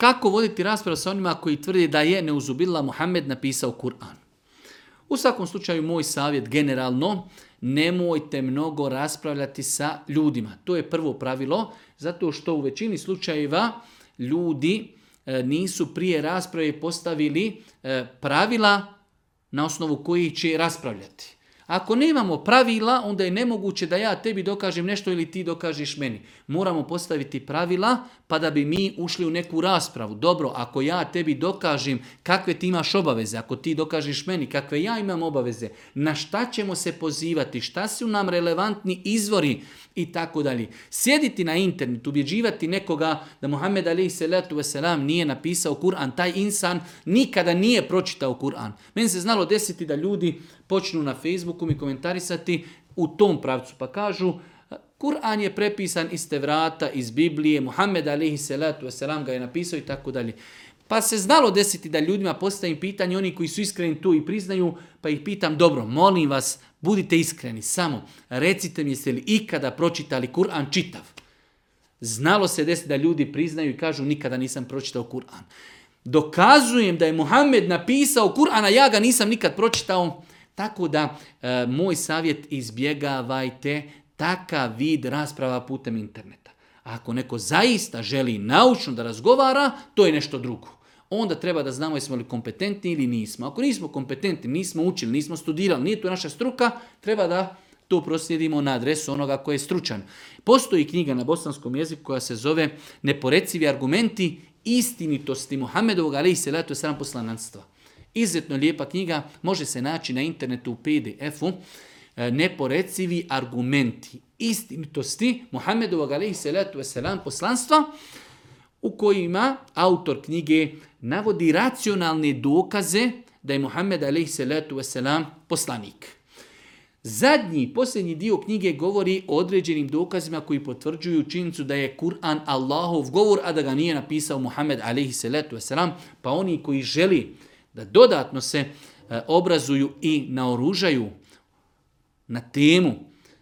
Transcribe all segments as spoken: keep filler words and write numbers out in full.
Kako voditi raspravu sa onima koji tvrde da je neuzubillah Muhammed napisao Kur'an? U svakom slučaju moj savjet generalno, nemojte mnogo raspravljati sa ljudima. To je prvo pravilo, zato što u većini slučajeva ljudi nisu prije rasprave postavili pravila na osnovu kojih će raspravljati. Ako nemamo pravila, onda je nemoguće da ja tebi dokažem nešto ili ti dokažeš meni. Moramo postaviti pravila pa da bi mi ušli u neku raspravu. Dobro, ako ja tebi dokažem kakve ti imaš obaveze, ako ti dokažeš meni kakve ja imam obaveze, na šta ćemo se pozivati, šta su nam relevantni izvori i tako dalje. Sjediti na internetu, ubjeđivati nekoga da Muhammed alejhi selatu vesselam nije napisao Kur'an, taj insan nikada nije pročitao Kur'an. Meni se znalo desiti da ljudi počnu na Facebooku mi komentarisati u tom pravcu, pa kažu Kur'an je prepisan iz Tevrata, iz Biblije, Muhammed alejhi selatu vesselam ga je napisao i tako dalje. Pa se znalo desiti da ljudima postavim pitanje, oni koji su iskreni tu i priznaju, pa ih pitam, dobro, molim vas, budite iskreni, samo recite mi jeste li ikada pročitali Kur'an čitav. Znalo se desiti da ljudi priznaju i kažu nikada nisam pročitao Kur'an. Dokazujem da je Muhammed napisao Kur'an, a ja ga nisam nikad pročitao. Tako da, e, moj savjet, izbjegavajte takav vid rasprava putem interneta. A ako neko zaista želi naučno da razgovara, to je nešto drugo. Onda treba da znamo jesmo li kompetentni ili nismo. Ako nismo kompetentni, nismo učili, nismo studirali, nije to naša struka, treba da to proslijedimo na adresu onoga koji je stručan. Postoji knjiga na bosanskom jeziku koja se zove Neporecivi argumenti istinitosti Muhammedovog alejhi selatu vesselam poslananstva. Izuzetno lijepa knjiga, može se naći na internetu u P D F-u. Neporecivi argumenti istinitosti Muhammedovog alejhi selatu vesselam poslanstva, u kojima autor knjige navodi racionalne dokaze da je Muhammed alejhi selatu vesselam poslanik. Zadnji, posljednji dio knjige govori o određenim dokazima koji potvrđuju činjenicu da je Kur'an Allahov govor, a da ga nije napisao Muhammed alejhi selatu vesselam, pa oni koji želi da dodatno se obrazuju i naoružaju na temu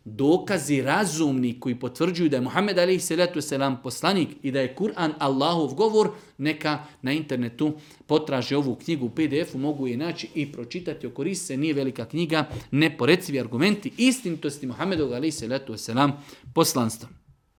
dokazi razumni koji potvrđuju da je Muhammed alejhi selatu vesselam poslanik i da je Kur'an Allahov govor, neka na internetu potraže ovu knjigu u P D F-u, mogu je naći i pročitati, okoristi se, nije velika knjiga, Neporecivi argumenti istinitosti Muhammedovog alejhi selatu vesselam poslanstva.